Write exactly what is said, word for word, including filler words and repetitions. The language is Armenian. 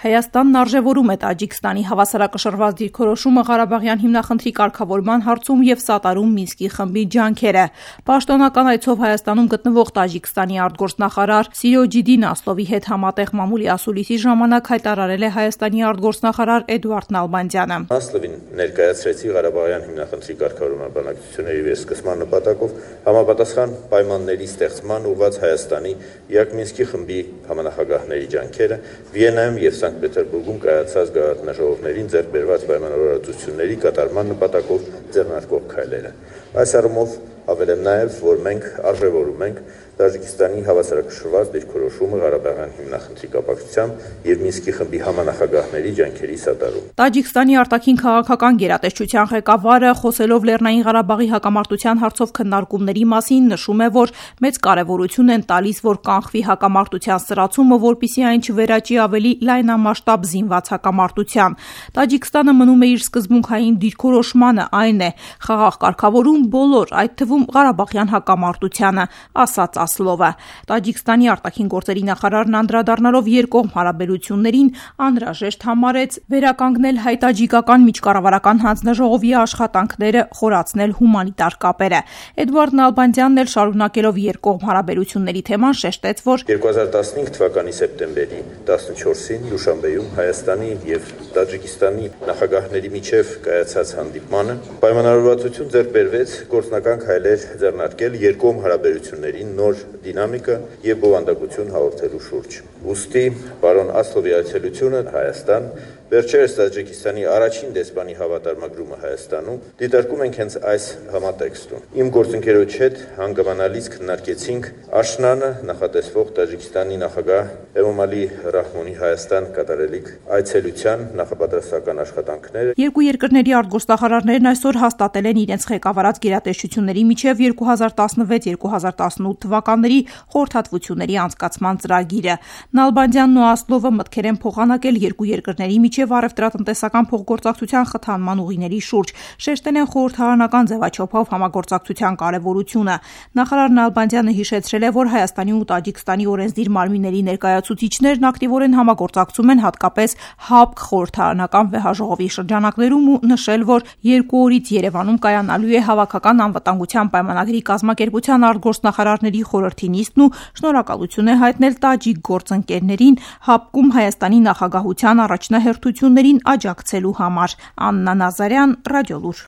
Հայաստանն արժևորում է Տաջիկստանի հավասարակշռված դիրքորոշումը Ղարաբաղյան հիմնախնդրի կարգավորման հարցում և սատարում Մինսկի խմբի ջանքերը։ Պաշտոնական այցով Հայաստանում գտնվող Տաջիկստանի արտգործնախարար Սիրոջիդին Ասլովի հետ համատեղ մամուլի ասուլիսի ժամանակ հայտարարել է Հայաստանի արտգործնախարար Էդուարդ Նալբանդյանը։ Ասլովին ներկայացրեցի Ղարաբաղյան հիմնախնդրի կարգավորման բանակցությունների վերսկսման նպատակով համապատասխան պայմանների ստեղծման ուղղված Հայաստանի և Մինսկի խմբի համանախագահների ջանքերը Վիեննայում և Սանկտ Պետերբուրգում կայացած գաղափարաժողովներին ձեռք բերված պայմանավորվածությունների կատարման նպատակով ձեռնարկվող քայլերը։ Այս առումով ավելեմ նաև, որ մենք արժևորում ենք Տաջիկստանի հավասարակշռված դիրքորոշումը Ղարաբաղյան հիմնախնդրի կապակցությամբ և Մինսկի խմբի համանախագահների ջանքերի սատարում։ Տաջիկստանի արտաքին քաղաքական գերատեսչության ղեկավարը, խոսելով Լեռնային Ղարաբաղի հակամարտության հարցով քննարկումների մասին, նշում է, որ մեծ կարևորություն են տալիս, որ կանխվի հակամարտության սրացումը, որպեսզի այն չվերաճի ավելի լայնամասշտաբ զինված հակամարտության։ Տաջիկստանը մնում է իր սկզբունքային դիրքորոշմանը, այն է խաղաղ կարգավորում բոլոր, այդ թվում Ղարաբաղյան հակամարտությանը, ասաց Ասլովը։ Տաջիկստանի արտաքին գործերի նախարարն անդրադառնալով երկկողմ հարաբերություններին անհրաժեշտ համարեց վերականգնել հայ-տաջիկական միջկառավարական հանձնաժողովի աշխատանքները, խորացնել հումանիտար կապերը։ Էդուարդ Նալբանդյանն էլ շարունակելով երկկողմ հարաբերությունների թեման շեշտեց, որ երկու հազար տասնհինգ թվականի սեպտեմբերի տասնչորսին Դուշանբեում Հայաստանի և Տաջիկստանի նախագահների միջև կայացած հանդիպմանը պայմանավորվածություն ձեռք բերվեց գործնական քայլեր ձեռնարկել երկկողմ հարաբերություններին նոր դինամիկա և բովանդակություն հաղորդելու շուրջ։ Ուստի պարոն Ասլովի այցելությունը Հայաստան, վերջերս Տաջիկստանի առաջին դեսպանի հավատարմագրումը Հայաստանում դիտարկում ենք հենց այս համատեքստում։ Իմ գործընկերոջ հետ հանգամանալից քննարկեցինք աշնանը նախատեսվող Տաջիկստանի նախագահ Էմոմալի Ռահմոնի Հայաստան կատարելիք այցելության նախապատրաստական աշխատանքները։ Երկու երկրների արտգործնախարարներն այսօր հաստատել են իրենց ղեկավարած գերատեսչությունների միջև երկու հազար տասնվեց երկու հազար տասնութ թվականների խորհրդատվությունների անցկացման ծրագիրը։ Նալբանդյանն ու Ասլովը մտքեր են փոխանակել երկու երկրների միջև առևտրատնտեսական փոխգործակցության խթանման ուղիների շուրջ, շեշտել են խորհրդարանական ձևաչափով համագործակցության կարևորությունը։ Նախարար Նալբանդյանը հիշեցրել է, որ Հայաստանի ու Տաջիկստանի օրենսդիր մարմինների ներկայացուցիչներն ակտիվորեն համագործակցում են հատկապես ՀԱՊԿ խորհրդարանական վեհաժողովի շրջանակներում ու նշել, որ երկու օրից Երևանում կայանալու է հավաքական անվտանգության պայմանագրի կազմակերպության արտգործնախարարների խորհրդի նիստն ու շնորհակալություն է հայտնել տաջիկ գործընկերներին ՀԱՊԿ-ում Հայաստանի նախագահության առաջնահերթություններին աջակցելու համար։ Աննա Նազարյան, Ռադիոլուր։